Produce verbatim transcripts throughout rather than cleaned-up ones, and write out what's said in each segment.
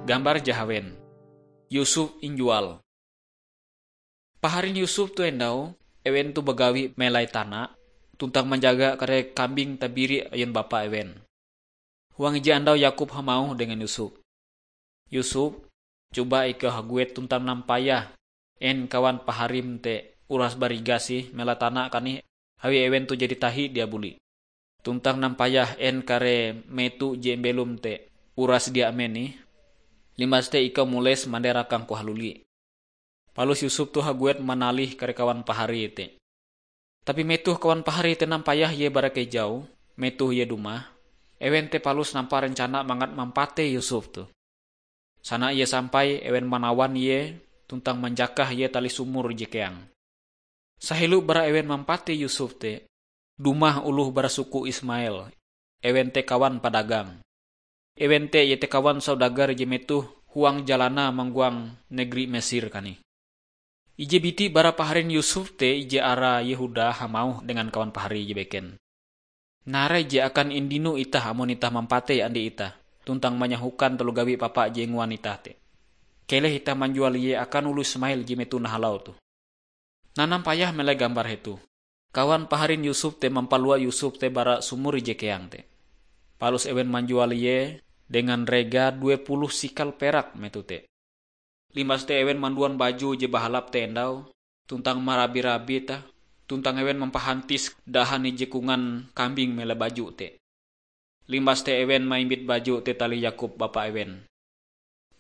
Gambar jahawen. Yusuf injual. Paharin Yusuf tu endau, ewen tu bagawi melai tana, tuntang manjaga kare kambing tabiri ayon bapa ewen. Huang ije andau Yakub hamauh dengan Yusuf, "Yusuf, cuba ikau haguet tuntang nampayah en kawan paharim te uras barigas ih melai tana kanih, awi ewen tu jadi tahi dia buli. Tuntang nampayah en kare meto je belom te uras dia amen ih. Limbas te ikau mules manderakangku haluli." Palus Yusuf tu haguet manalih kare kawan paharie te. Tapi metoh kawan paharie te nampayah ie bara kejau, metoh ie dumah, ewen te palus nampar rencana mangat mampatei Yusuf tu. Sana ie sampai, ewen manawan ie tuntang manjakah ie tali sumur ije keang. Sahelo bara ewen mampatei Yusuf te, dumah oloh bara suku Ismael, ewen te kawan padagang. Ewen te iete kawan saudagar je metoh huang jalanae manggoang negeri Mesir kanih. Ije biti bara paharin Yusuf te, ije arae Yehuda, hamauh dengan kawan paharie je beken, "Narai je akan indino itah amon itah mampatei andi itah, tuntang manyahokan taloh gawi papa je inguan itah te. Keleh itah manjual ie akan oloh Ismael je metoh nahalau toh." Nah, nampayah melai gambar hetoh. Kawan paharin Yusuf te mampalua Yusuf te bara sumur ije keang te. Palus ewen manjual ie dengan rega due puluh sikal perak metoh te. Limbas te ewen manduan baju je bahalap te endau, tuntang marabi-rabi tah, tuntang ewen mampahantis dahan ije kongan kambing melai baju te. Limbas te ewen maimbit baju te tali Yakub bapa ewen.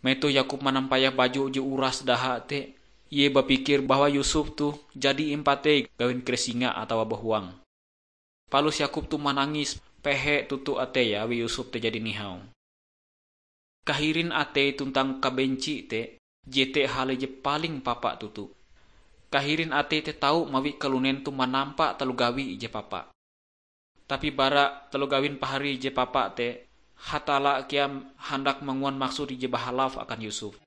Metoh Yakub manampayah baju je uras daha te, ie bapikir bahwa Yusuf toh jadi impatei gawin kare singa atawa bahuang. Palus Yakub toh manangis pehe toto ateie awi Yusuf te jadi nihau. Kahirin atei tuntang kabenci te jete hal je paling papa toto. Kahirin atei te tau mawi kalunen toh manampa taloh gawi ije papa. Tapi bara taloh gawin paharie je papa te, Hatalla kea handak manguan maksud ije bahalap akan Yusuf.